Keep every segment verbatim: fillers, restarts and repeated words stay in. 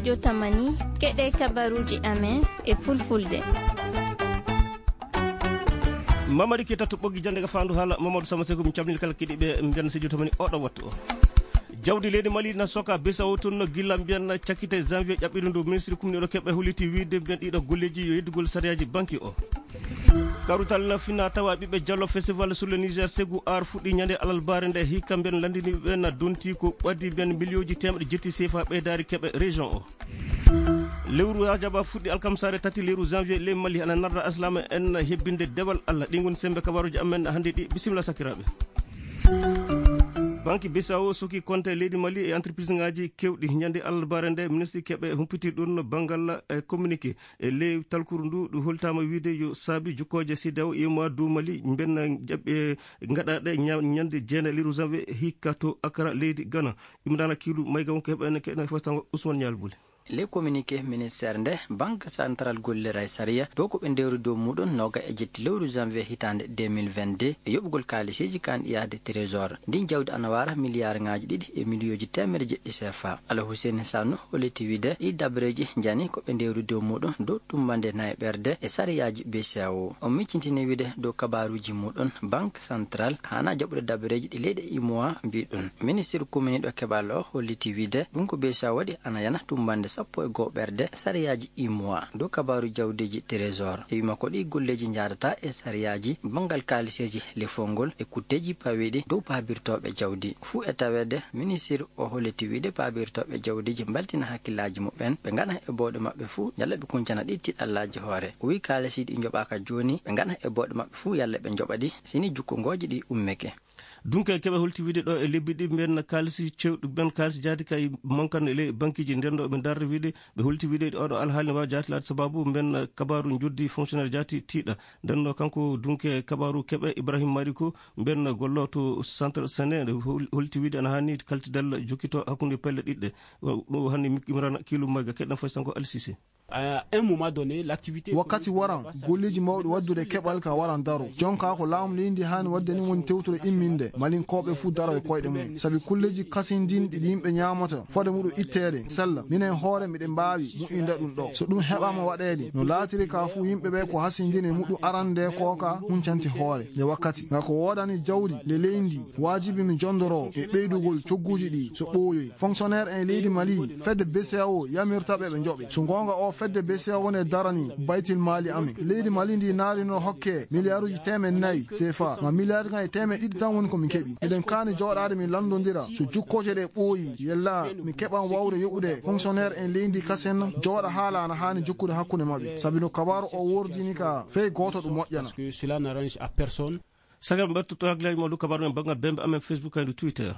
Jotamani, keɗe kabaruuji amen e fulfulde. Mamadi Keita to ɓoggi jannde ka faandu haala, Mamadou Sama Sekou, mi calmini kala keɗiiɓe, mbiyan si jotamani oɗo wattu o. Jawdi leydi Mali na soka B C E A O tun no gilla mbiyan cakkite janvier ƴaɓɓiɗo ndu ministre kumniɗo keɓe holliti wiide mbiyan ɗiɗo golleeji yo yeddugol sariyaaji banki o. Karutal na fina tawa ɓiɓɓe Jallo Festival sur le Niger Ségou Art fuɗɗi ñande alarbaare nde hikka mbiyan lanndiniiɓe na donti ko ɓaddi mbiyan miliyooji teemɗe jetti C F A ɓeydaari keɓe région o. Lewru Rajaba fuɗɗi alkamsaare tati lewru janvier ley Mali ana narra aslama en hebbinde dewal Allah. Ɗi ngoni sembe kabaruji amen hannde ɗi. Bisimilla sakiraaɓe. Banki B C E A O soki konte leydi Mali e entreprise ngaji kewɗi. Ñande alarbaare nde ministre keɓe humpiti ɗum banngal e communiqué e ley talkuru ndu ɗum holtama wiide yo saabi jukkooje C E D E A O e mois du Mali mbenna jaɓɓe gaɗaɗe ña-, ñande jeenayi lewru janvier hikka to Accra leydi Ghana. Imrana Kilu Mayga wonko heɓa en keɗen fo tango Ousmane Ñal Buli. Ley communiqué ministère nde, Banque Centrale gollira e sariya dow ko ɓe ndewri dow muɗum noga e jetti lewru janvier hitaande deux mille vingt-deux e yoɓugol kaalisiji kan yaade trésor. Ndin jawdi ana wara miliyaar ngaji ɗiɗi e miliyooji teemere jeɗɗi C F A. Ala Hussein Sanu holliti wiide ɗi dabreji njani ko ɓe ndewri dow muɗum dow tumbande nayi ɓerde e sariyaaji B C E A O. O miccintini wiide dow kabaruji muɗum, Banque Centrale hana jaɓude dabreji ɗi leyɗe U M O A mbi ɗum. Ministre kuminiɗo keɓal o holliti wiide ɗum ko B C E A O waɗi ana yana tumbande sappo e goo ɓerde sariyaaji U M O A dow kabaru jawdiji trésor. E wima ko ɗi golleji jaadata e sariyaaji banngal kaaliseji lefol ngol e kutteji pawiɗi dow paabirtooɓe jawdi. Fuu e taweede, ministre o holliti wiide paabirtooɓe jawdiji mbaltina hakkillaji muɓɓen, ɓe ngaɗa e bawɗe maɓɓe fuu, yalla ɓe kuncana ɗi tiɗallaaji hoore. O wi kaalisi ɗi njoɓaaka jooni, ɓe ngaɗa e bawɗe maɓɓe fuu, yalla ɓe njoɓa ɗi, sini jukkungooji ɗi ummeke. Dunke keɓe holti wiide ɗo e lebbi ɗi mben kaalisi cewɗi, mben kaalisi jaati kay mankan e ley bankiji nden ɗo ɓe darde wiide, ɓe holti wiide oɗo alhaali ne waawi jaati laade sababu mben kabaru joddi fonctionnaire jaati tiiɗa. Nden ɗo kanko dunke kabaru keɓe Ibrahim Mariko, mben gollo to centre Sene, nde hol-, holti wiide ana hani kaltidal jokkito hakkunde pelle ɗiɗɗe. Ɗo hani Imrana Kilu Mayga keɗen fay sanko Alsise. À un moment donné, l'activité wakkati économique waran, golleji mawɗi waddude keɓal ka waran daro. Jonka ko laamu leydi haani wadde ni woni tewtude imminde, Malinkooɓe fuu daro e koyɗe mum. Sabi kulleji kasindinɗi ɗi yimɓe ñaamata, fode muɗum itteede, sella. Minen hoore miɗen mbaawi moƴƴinde ɗum ɗo. So ɗum heɓaama waɗeede, no laatiri ka fuu yimɓe ɓe ko hasindini e muɗum arande ko ka huncanti hoore. Nde wakkati, nga ko woodani jawdi, nde leydi, waajibi mi jondoro e ɓeydugol cogguuji ɗi so ɓooyoyi. Fonctionnaire en leydi Mali, fedde B C E A O yamirta ɓe ɓe njoɓe. So goonga o fedde B C E A O woni e darani baytil maali amen. Leydi Mali ndi naarino hokke miliyaaruuji teemeɗɗe nayi C F A. Ma miliyaaruuji kan e teemeɗɗe ɗiɗi tan woni ko min keɓi. Miɗen kaani jooɗaade min lanndondira. So jukkooje ɗe ɓooyi, yella mi keɓan wawde yoɓude fonctionnaire en leydi kasen jooɗa haala ana haani jokkude hakkunde maɓɓe. Sabi no kabaaru o wordini ka fey gooto ɗum moƴƴana. Parce que cela n'arrange à personne. Sagal mbaɗa tutto hakkillaaji mawɗo kabaru men banngal bembe amen Facebook kadi Twitter.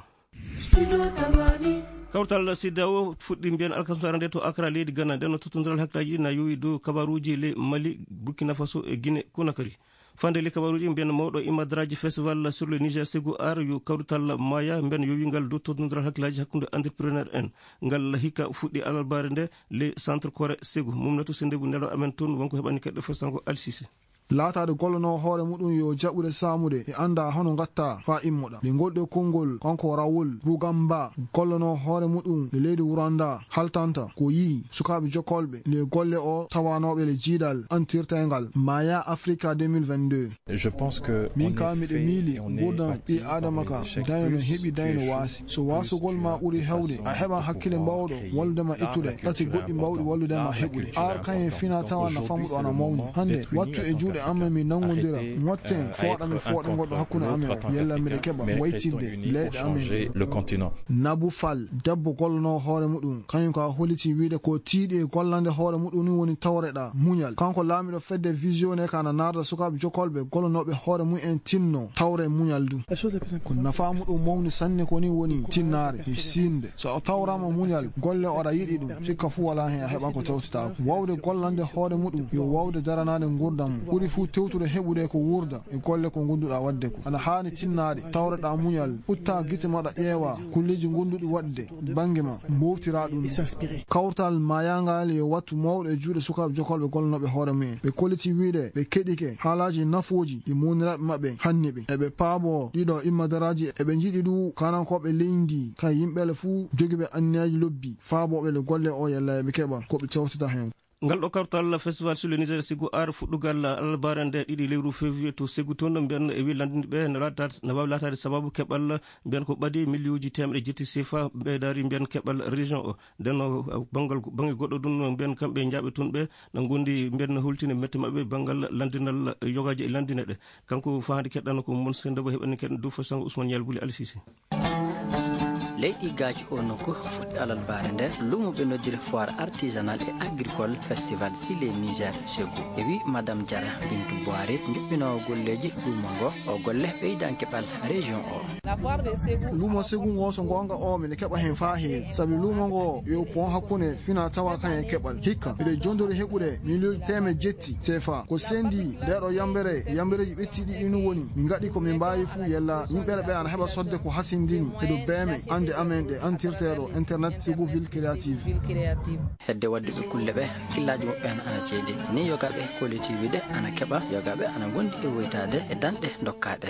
Kawtal C E D E A O fuɗɗi mbiyan alkasmara nde to Accra leydi Ghana. Nden no tottondiral hakkillaaji na yowi dow kabaruji ley Mali, Burkina Faso e Guinée Conakry. Fande ley kabaruji mbiyan mawɗo imadraji festival sur le Niger Ségou Art yo kawrital maya mbiyan yowi ngal dow tottondiral hakkillaaji hakkunde entrepreneur en. Ngal hikka fuɗɗi alarbaare nde ley centre Kore Ségou. Mumnatu Sendebu nelo amen toon wonko heɓani keɗɗo festango Alsise. Laataade gollanoo hoore muɗum yo jaɓude saamude e anndaa hono ngatta faa immoɗa. Nde ngolɗe konngol kanko Raoul Rugamba gollanoo hoore muɗum e leydi Rwanda haltanta ko yi'i sukaaɓe jokkolɓe nde golle o tawanooɓe le jiidal antirteengal Maya Africa deux mille vingt-deux. Je pense que min ka miɗo miili nguurndam ɓii aadama ka daño no heɓi daño no waasi. So waasugol ma ɓuri heewde, a heɓan hakkille mbaawɗo wallude ma ittude ɗate goɗɗi mbaawɗi wallude ma heɓude. Ar kañum e fina tawa na famɗo ana mawni. Hannde, wattu e juuɗe amen min nanngondira, motten fooɗa mi fooɗa goɗɗo hakkunde amen, yalla miɗa keɓa waytinde leyɗe amen ɗe. Nabu Fall, debbo gollanoo hoore muɗum, kañum ka holliti wiide ko tiiɗi e gollande hoore muɗum ni woni tawreɗa muñal. Kanko laamiɗo fedde Vision ne ka na naarda sukaaɓe jokkolɓe gollanooɓe hoore mum en tinno tawre muñal du. Ko nafaa muɗum mawni sanne ko ni woni tinnaare e siinde. So a tawraama muñal, golle oɗa yiɗi ɗum, sikka fuu walaa heen a heɓan ko tawtitaako. Waawde gollande hoore muɗum yo waawde daranaade nguurndam mum. Ɓuri fuu tewtude heɓude ko wuurda e golle ko ngonduɗaa waɗde ko. Aɗa haani tinnaade, tawreɗaa muñal, utta gite maɗa ƴeewa kulleeji ngonduɗi waɗde bannge ma, mbowtiraa ɗum. Kawtal maayaangal yo wattu mawɗo e juuɗe sukaaɓe jokolɓe gollanooɓe hoore mumen. Ɓe kolliti wiyde ɓe keɗike haalaaji nafooji ɗi mawniraaɓe maɓɓe hanni ɓe. Eɓe paaboo ɗiɗo immadaraaji, eɓe njiɗi ɗu kanankooɓe leydi, kan yimɓeele fuu jogiiɓe anniyaaji lobbi, faabooɓe le golle o yalla eɓe keɓa ko ɓe tewtata heen. Ngal ɗo kawtal Festival sur le Niger Ségou Art fuɗɗugal alarbaare nde ɗiɗi lewru février to Ségou toon, mbiyan e wi lanndinɓe no laataade, no waawi laataade sababu keɓal mbiyan ko ɓadi miliyuuji teemɗe jetti sefa ɓeydaari mbiyan keɓal région o. Nden o, banngal, bannge goɗɗo ɗum mbiyan kamɓe njaaɓe toon ɓe na ngondi mbiyan no hultini mette maɓɓe banngal lanndinal yogaaji e lanndine ɗe. Kanko fahaade keɗɗano ko mon senda bo heɓani keɗɗan dow fasango Ousmane Yalbuli Alsisi. Leyɗi gaaji o nokku fuɗɗi alarbaare nde luumo ɓe noddiri foire artisanal et agricole festival sur le Niger Ségou. E wi Madame Diarra Bintou Boiré, njuɓɓinoowo golleeji luumo ngo, o golle ɓeydanke ɓal région o. Luumo Ségou ngo, so ngoonga o, mine keɓa heen faa heewi. Sabi luumo ngo yo pon hakkunde fina tawa kañum e keɓal. Hikka, miɗo jondori heɓude miliyuuji teemeɗɗe jetti sefa. Ko sendi nde ɗo yambere, yambereeji ɓetti ɗiɗi ɗin woni. Min ngaɗi ko min mbaawi fuu yalla yimɓe ɓe ana heɓa sodde ko hasindini e dow beeme annde amen ɗe antirteeɗo internet Ségou Ville Créative. Hedde waɗduɓe kulle ɓe, hakkillaaji maɓɓe ana, ana ceedi. Ni yogaaɓe kollitiivi ɗe ana keɓa, yogaaɓe ana ngondi e woytaade e danɗe dokkaaɗe.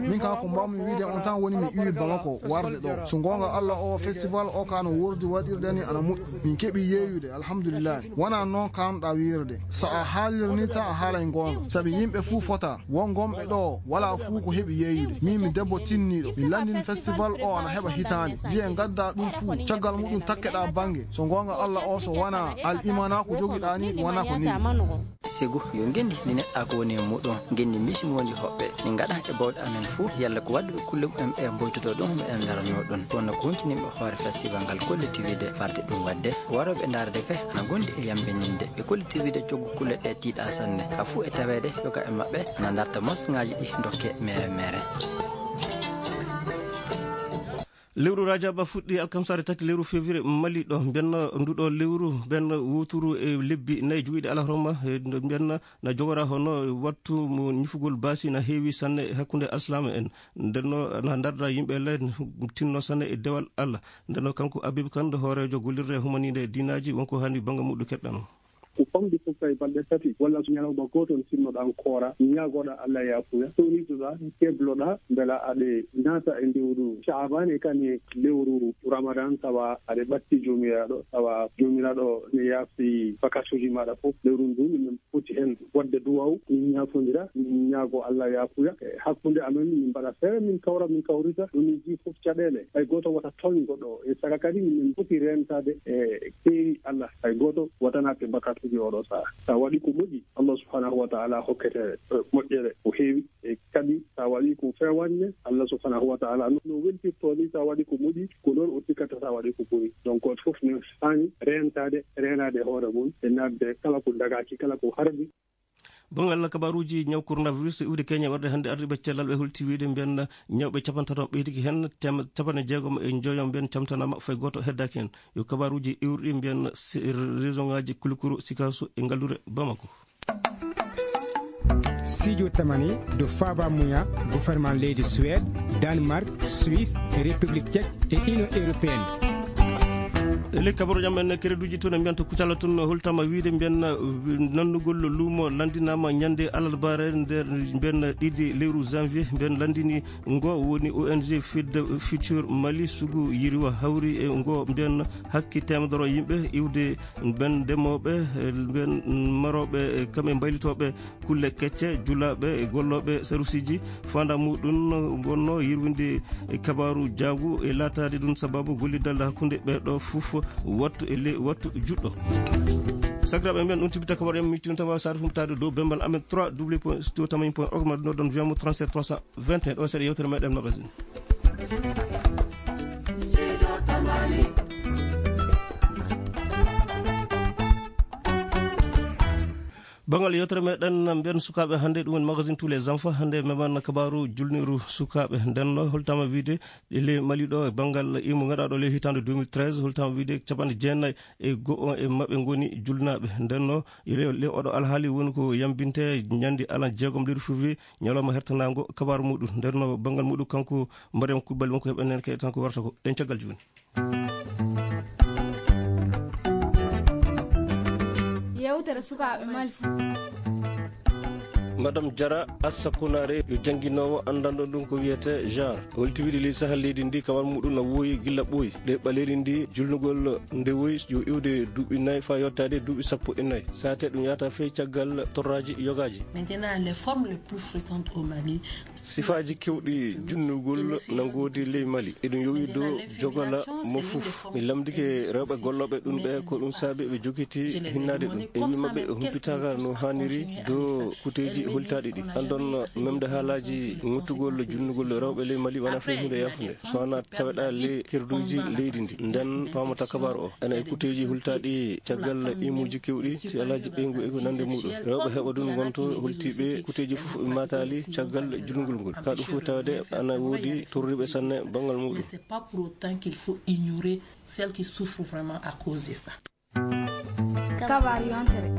Min ka ko mbaawmi wiide on tan woni mi iwi Bamako warde ɗo. So ngoonga Allah o festival o ka no wordi waɗirde ni ana moƴƴi. Min keɓi yeeyude, alhamdulillah. Wona noon kaanɗa wiirde. So a haalirni tan a haalay ngoonga. Sabi yimɓe fuu fota. Won gomɓe ɗo, walaa fuu ko heɓi yeeyude. Min mi debbo tinniiɗo. Mi lanndin festival o ana heɓa hitaande. Wiye ngadda ɗum fuu. Caggal muɗum takkeɗa bannge. So ngoonga Allah o so wona al imana ko jogiɗa ni, ɗum wona ko newi. Ségou yo ngenndi ndi neɗɗa ko woni e muɗum. Ngenndi misi mo woni hoɓɓe. Min ngaɗa e bawɗe amen fuu. Yalla ko waɗduɓe kulle mumen ɓe mboytoto ɗum, meɗen ndaranoo ɗum. Kono ko huntiniiɓe hoore festival ngal kollitiivi ɗe farde ɗum waɗde. Warooɓe ndaarde ɓe ana ngondi e yambininde. Ɓe kollitiivi ɗe coggu kulle ɗe tiiɗa sanne. Haa fuu e taweede yoga e maɓɓe ana ndarta mosŋaaji ɗi dokke mere mere. Lewru Rajaba fuɗɗi alkamsaare tati lewru février Mali ɗo. Mbiyanno nduɗo lewru, mbiyanno wuturu e lebbi nayi jogiiɗi alahorma, e mbiyanno na jogora hono wattu mo ñifugol baasi na heewi sanne e hakkunde alsilaama en. Ndenno na ndarda yimɓe le tinno sanne e dewal Allah. Ndenno kanko Abib Kan, hooreejo gollirde humaniinde diinaaji, wonko hani bannga muɗum keɗɗano. Ko famɗi fof tawi balɗe tati walla so ñalawma gooto sinnoɗaa koora, ñaagoɗaa Allah yaafuya, towniɗoɗaa, kebloɗaa, mbela aɗe naata e lewru Shaaban e kadi lewru Ramadan, tawa aɗe ɓatti Joomiraaɗo, tawa Joomiraaɗo ne yaafi bakkaatuuji maaɗa fof. Lewru ndu minen foti heen waɗde duwaaw, min ñaafondira, min ñaago Allah yaafuya. E hakkunde amen, min mbaɗa feere, min kawra, min kawrita, ɗum min jii fof caɗeele. Hay gooto wota tooñ goɗɗo o. E saka kadi, minen foti reentaade e keeri Allah. Hay gooto wota naat e bakkaatuuji oɗo sahaa. Sa waɗi ko moƴƴi, Allah subhanahu wa ta'ala hokkete, eh, moƴƴere ko heewi. E kadi, sa waɗi ko feewaani ne, Allah subhanahu wa ta'ala no, no weltirto ni, sa waɗi ko moƴƴi, ko noon o sikkata sa waɗi ko boni. Donc, gooto fof ne haani reentaade, reenaade e hoore mum, e naatde kala ko dagaaki, kala ko harmi. Banngal kabaaruuji ñaw coronavirus iwde Kenya warde hannde, ardiiɓe cellal ɓe holti wiyde mbiyan ñawɓe capantato ɓeydiki heen, tem-, capanɗe jeegom e njoyo mbiyan camtanaama, fay gooto heddaaki heen. Yo kabaaruuji iwruɗi mbiyan se-, région ŋaaji Kulukuru, Sikaso e Ngallure Bamako. Sijo tamani do Faba Muya, gouvernement leydi Suède, Danemark, Suisse, République Tchèque e Union Européenne. E ley kabaro jam en, kereduuji tun e mbiyan to Kucala tun, holtama wiide mbiyan, eh, nannugol luumo lanndinaama ñannde alarbaare nder mbiyan ɗiɗi lewru janvier, mbiyan lanndini ngo woni O N G Feed the Future Mali, sugu yiriwa hawri e ngo mbiyan hakke teemedere yimɓe iwde mbiyan ndemooɓe, eh, mbiyan marooɓe, eh, kamɓe mbaylitooɓe kulle kecce, julaaɓe e gollooɓe sarusiiji. Faandaare muɗum wonno yirwinde e kabaaru jaagu e laataade ɗum sababu gollidal hakkunde ɓee ɗoo fof wattu e le-, wattu juɗɗo. Sakiraaɓe men, ɗum tibbita kabaaru en, mi tinta ma saare humpitaade dow bembal amen trois W point studio tamani point org, ma ɗum ɗo ɗon wiyamo trente-sept trois cent vingt et un, ɗo seeɗa yewtere meɗen magasin. Banngal yewtere meɗen mbiyen sukaaɓe hannde, ɗum woni magazine Tous les enfants. Hannde meman kabaaru julniru sukaaɓe. Nden no holtama wiide e ley Mali ɗo, banngal imu ngaɗaaɗo ley hitaande deux mille treize, holtama wiide capanɗe jeenayi e go'o e maɓɓe ngoni julnaaɓe. Nden no ley, ley oɗo alhaali woni ko yambinte ñande alan jeegom lewru février, ñalawma hertanaango kabaaru muɗum. Nden no banngal muɗum kanko Mariam Kubbali wonko heɓen heen kay tan ko warata ko ɗen caggal jooni. Yewtere sukaaɓe Mali. Madame Jara Assa Konare yo jannginoowo anndanɗo ɗum ko wiyetee genre. Holti wiide ley sahal leydi ndi, kawal muɗum na wooyi gilla ɓooyi. Ɗe ɓaleeri ndi, julnugol nde woyi yo iwde duuɓi nayi faa yottaade duuɓi sappo e nayi. Saate ɗum yahata fey caggal torraaji yogaaji. Maintenant, les formes les plus fréquentes au Mali, sifaaji kewɗi junnugol na ngoodi ley Mali. Eɗum yowi dow jogola mo fof. Mi lamndike rewɓe gollooɓe ɗum ɓe ko ɗum saabi ɓe jokiti hinnaade ɗum. E wii maɓɓe humpitaaka no haaniri dow kuteeji hultaaɗi ɗi. Anndon memde haalaaji ŋuttugol junnugol rewɓe ley Mali wonaa fey huunde yaafunde. So wonaa taweɗaa ley kerduuji leydi ndi, nden paamata kabaaru o. Ena e kuteeji hultaaɗi caggal imuuji kewɗi, si alaaji ɓeyngu e ko nande muɗum. Rewɓe heɓa ɗum ngonto holtiiɓe kuteeji fof ɓe maataali caggal julngol ngol. Ka ɗum fof tawde ana woodi torriiɓe sanne banngal muɗum. Mais c'est pas pour autant qu'il faut ignorer celles qui souffrent vraiment à cause de ça. Kabaaru yontere.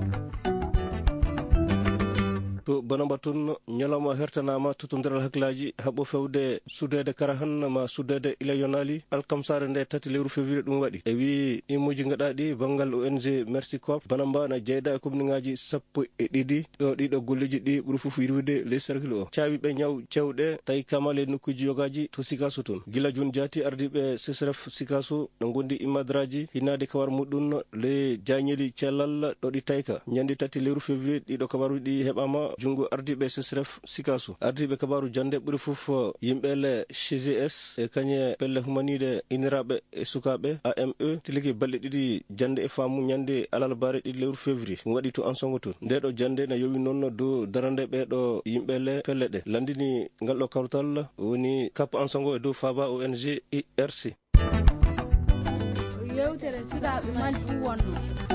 To Banamba toon, ñalawma hertanaama totondiral hakkillaaji haɓo fewde suddeede Karahan ma suddeede ila yonaali, alkamsaare nde tati lewru février ɗum waɗi. E wii imuuji gaɗaaɗi banngal O N G Mercy Corps, Banamba na jeyda e komniŋaaji sappo e ɗiɗi, ɗo ɗiɗo golleeji ɗi ɓuri fof yirwude ley cercle o. Caawi ɓe ñaw cewɗe, tawi kamale nokkuuji yogaaji to Sikaso toon. Gila jooni jaati ardiiɓe C C R F Sikaso no ngondi imadraaji hinnaade kawar muɗum le jaañeli cellal ɗo ɗi tayka. Ñande tati lewru février ɗiɗo kabaruuji ɗi heɓaama junngo ardiiɓe C C R F Sikaso. Ardiiɓe kabaaru jannde ɓuri fof yimɓe le C G S e kañe pelle humaniiɗe iniraaɓe e sukaaɓe A M E tilike balɗe ɗiɗi jannde e faamu ñande alarbaare ɗiɗi lewru février. Ɗum waɗi to Ansongo toon. Nde ɗo jannde na yowi noon dow darande ɓee ɗo yimɓe le pelle ɗe. Lanndini ngal ɗo kawtal woni Kap Ansongo e dow Faaba O N G I R C. Yewtere sukaaɓe Mali ɗum wonno.